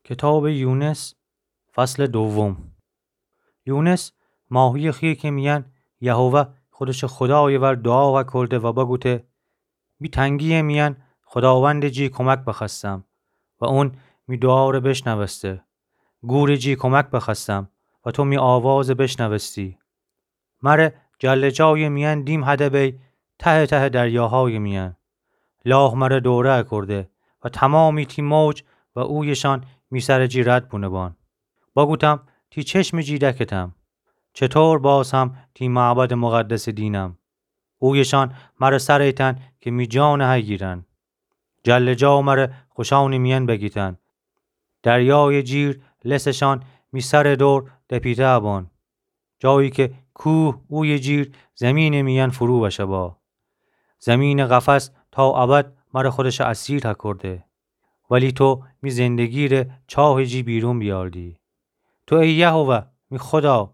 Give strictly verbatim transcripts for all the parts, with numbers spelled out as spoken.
کتابٚ یونس، فصلٚ دوم. یونس ماهیٚ خیکٚ میأن یهوه خودشٚ خودایٚ ور دوعا کرده و بگوته: می تنگییٚ میأن خوداوندٚ جی کمک بخوأستم و اون می دوعا ره بشنوسته. گورٚ جی کمک بخوأستم و تو می آوازٚ بشنوستی. مره جلجایٚ میأن دیم هده بی، تهٚ تهٚ دریاهایٚ میأن. لاه مره دوره اکرده و تومامی تی موج و اویشأن می سرٚ جی رد بونه‌بان. بگوتم: تی چشمٚ جی دکتم. چطور باز هم تی معبدٚ مقدسٚ دینم؟ اویشأن مره سر ایتأن که می جانٚ هیگیرأن. جلجا مره خوشأنٚ میأن بگیتأن. دریایٚ جیر لسشأن می سرٚ دور دپیته بان. جایی که کوه اویٚ جیر زیمینٚ میأن فرو بشه با. زیمینٚ قفس تا ابد مره خودشٚ اسیر هکرده. ولی تو می زندگی ره چاهٚ جی بیرون بیاردی. تو ای یهوه، می خودا،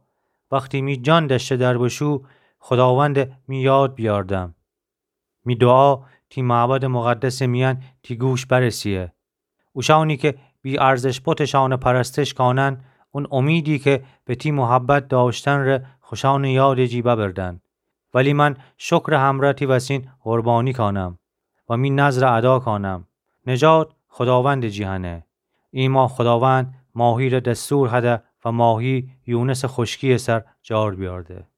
وختی می جان دشته در بوشو، خوداوند می یاد بیاردم. می دوعا تی معبدٚ مقدسٚ میأن تی گوش برسه‌یه. اوشأنی که بی‌ارزش بتشأنٚ پرستش کانن، اون امیدی که به تی محبت داشتن ره خوشأنٚ یادٚ جی ببردن. ولی من شکرٚ همرأ تی وسین قربانی کانم و می نذر ادا کانم. نجات خوداوندٚ جی هنه. ایما خوداوند ماهی ره دستور هده و ماهی یونسٚ خوشکییٚ سر جار بیارده.